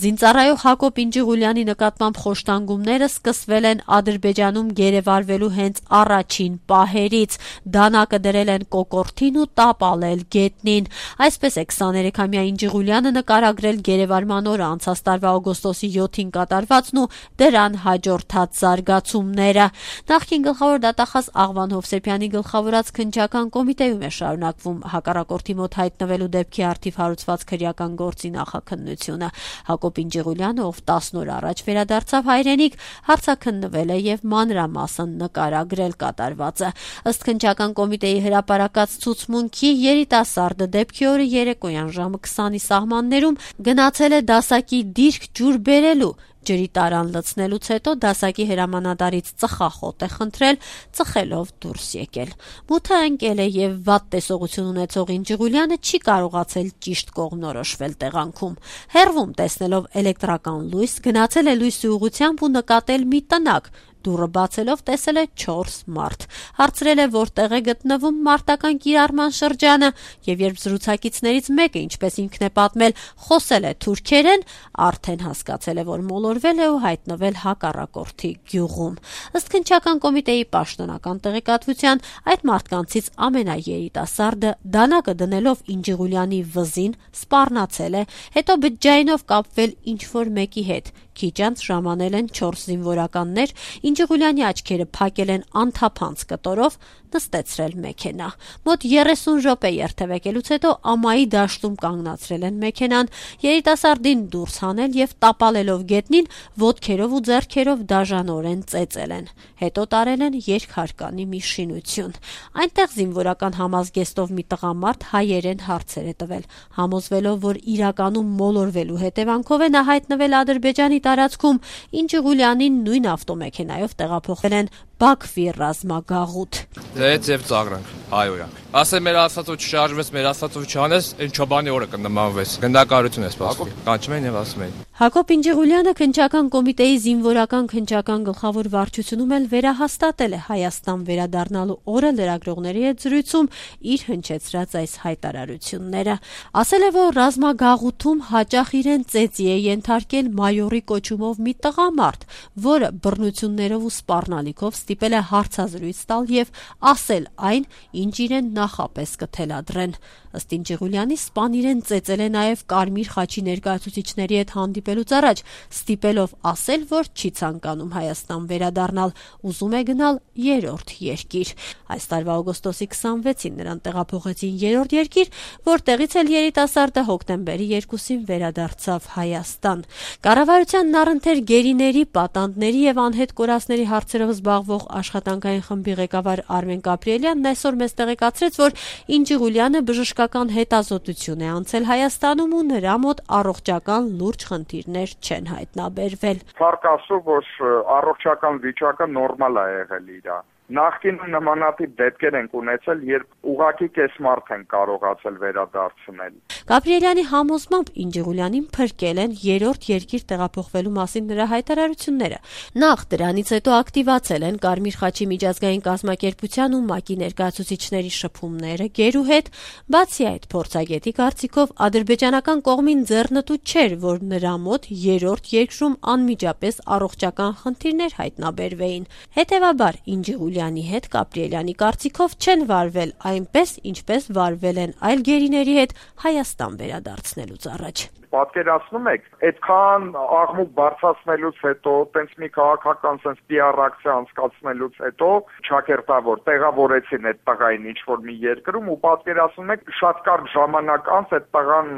Զինծառայող Հակոբ Ինջիղուլյանի նկատմամբ խոշտանգումները սկսվել են Ադրբեջանում գերեվարվելու հենց առաջին պահերից։ Դանակը դրել են կոկորդին ու տապալել գետնին։ Այսպես է 23-ամյա Ինջիղուլյանը նկարագրել գերեվարման օրը անցած տարվա օգոստոսի 7-ին կատարվածն ու դրան հաջորդած զարգացումները։ Նախկին գլխավոր դատախազ Աղվան Հովսեփյանի գլխավորած քննչական կոմիտեում է շարունակվում հակառակորդի մոտ հայտնվելու դեպքի առթիվ հարուցված քրեական գործի նախաքննությունը։ Հակոբ Ինջիղուլյանը, ով 10 օր առաջ վերադարձավ հայրենիք, հարցաքննվել է եւ մանրամասն նկարագրել կատարվածը։ Ըստ քննչական կոմիտեի հրապարակած ցուցմունքի, երիտասարդը դեպքի օրը երեկոյան ժամը 20-ի սահմաններում գնացել է դասակի դիրք ջուր բերելու։ Ջրի տարան լցնելուց հետո դասակի հրամանատարից ծխախոտ է խնդրել, ծխելով դուրս եկել։ Մութը ընկել է եւ վատ տեսողություն ունեցող Ինջիղուլյանը չի կարողացել ճիշտ կողմնորոշվել տեղանքում։ Հեռվում տեսնելով էլեկտրական լույս, գնացել է լույսի ուղղությամբ ու նկատել մի տնակ։ Դուռը բացելով տեսել է 4 մարդ։ Հարցրել է որտեղ է գտնվում մարտական կիրառման շրջանը, եւ երբ զրուցակիցներից մեկը, ինչպես ինքն է պատմել, խոսել է թուրքերեն, արդեն հասկացել է, որ մոլորվել է ու հայտնվել հակառակորդի գյուղում։ Ըստ քննչական կոմիտեի պաշտոնական տեղեկատվության, այդ մարդկանցից ամենաերիտասարդը դանակը դնելով Ինջիղուլյանի վզին սպառնացել է, հետո բջջայինով կապվել ինչ-որ մեկի հետ։ Քիչ անց ժամանել են 4 զինվորականներ, Ինջիղուլյանի աչքերը փակել են անթափանց կտորով, նստեցրել մեքենա։ Մոտ 30 րոպե երթևեկելուց հետո ամայի դաշտում կանգնացրել են մեքենան, երիտասարդին դուրս հանել եւ տապալելով գետնին ոտքերով ու ձեռքերով դաժանորեն ծեծել են։ Հետո տարել են երկհարկանի մի շինություն։ Այնտեղ զինվորական համազգեստով մի տղամարդ հայերեն հարցեր է տվել, համոզվելով, որ իրականում մոլորվելու հետևանքով է նա հայտնվել Ադրբեջանի տարածքում, Ինջիղուլյանին նույն ավտոմեքենայով տեղափոխվել են Բաքվի ռազմագաղութ։ Դեց եւ ծաղրանք, հայոյանք։ Ասե մեր ասածով չշարժվես, մեր ասածով չանես, այն չոբանի օրը կնմանվես։ Գնդակարություն է սպասում։ Կանչում են եւ ասում են։ Հակոբ Ինջիղուլյանը քննչական կոմիտեի զինվորական քննչական գլխավոր վարչությունում էլ վերահաստատել է Հայաստան վերադառնալու օրը լրագրողների հետ զրույցում իր հնչեցրած այս հայտարարությունները։ Ասել է, որ ռազմագաղութում հաճախ իրեն ծեծի է ենթարկել մայորի կոչումով մի տղամարդ, որը բռնություններով ու սպառնալիքով ստիպել է հարցազրույց տալ եւ ասել այն, ինչ իրեն նախապես կթելադրեն։ Ըստ Ինջիղուլյանի, սպան իրեն ծեծել է նաեւ Կարմիր խաչի ներկայացուցիչների հետ հանդիպելուց առաջ, ստիպելով ասել, որ չի ցանկանում Հայաստան վերադառնալ, ուզում է գնալ երրորդ երկիր։ Այս տարվա օգոստոսի 26-ին նրան տեղափոխեցին երրորդ երկիր, որտեղից էլ երիտասարդը հոկտեմբերի 2-ին վերադարձավ Հայաստան։ Կառավարությանն առընթեր գերիների, պատանդների եւ անհետ կորածների հարցերով զբաղվող աշխատանքային խմբի ղեկավար Արմեն Գաբրիելյանն այսօր մեզ տեղեկացրեց, որ Ինջիղուլյանը բժշկական հետազոտություն է անցել Հայաստանում ու նրա մոտ առողջական լուրջ խնդիրներ չեն հայտնաբերվել։ Փառք Աստծո, որ առողջական վիճակը նորմալ է եղել իրա։ Նախկինում նմանատիպ դեպքեր ենք ունեցել, երբ ուղղակի կեսմարդ են կարողացել վերադարձնել։ Գաբրիելյանի համոզմամբ Ինջիղուլյանին փրկել են երրորդ երկիր տեղափոխվելու մասին նրա հայտարարությունները։ Նախ դրանից հետո ակտիվացել են Կարմիր խաչի միջազգային կազմակերպության ու ՄԱԿ-ի ներկայացուցիչների շփումները գերու հետ։ Բացի այդ, փորձագետի կարծիքով ադրբեջանական կողմին ձեռնտու չէր, որ նրա մոտ երրորդ երկրում անմիջապես առողջական խնդիրներ հայտնաբերվեին։ Հետևաբար Ինջիղուլյանի հետ Գաբրիելյանի կարծիքով չեն վարվել այնպես, ինչպես վարվել են այլ գերիների հետ Հայաստան վերադարձնելուց առաջ։ Պատկերացնում եք, այդքան աղմուկ բարձրացնելուց հետո, տենց մի քաղաքական sense PR ակցիա անցկացնելուց հետո, ճակերտավոր տեղավորեցին այդ տղային ինչ-որ մի երկրում ու պատկերացնում եք, շատ կարճ ժամանակ անց այդ տղան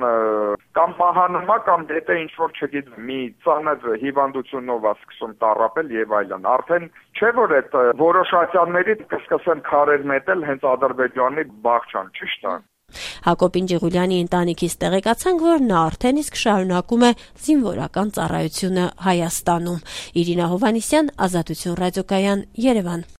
կամ պահանում է կամ դեպի ինչ-որ չգիտեմ, մի ծանր հիվանդությունով է սկսում տառապել եւ այլն։ Արդեն չէ որ այդ որոշ ատյանների կսկսեն քարեր մետել հենց Ադրբեջանի բաղջան, ճիշտ է։ Հակոբ Ինջիղուլյանի ընտանիքից տեղեկացանք, որ նա արդեն իսկ շարունակում է զինվորական ծառայությունը Հայաստանում։ Իրինա Հովհաննիսյան, Ազատություն ռադիոկայան, Երևան։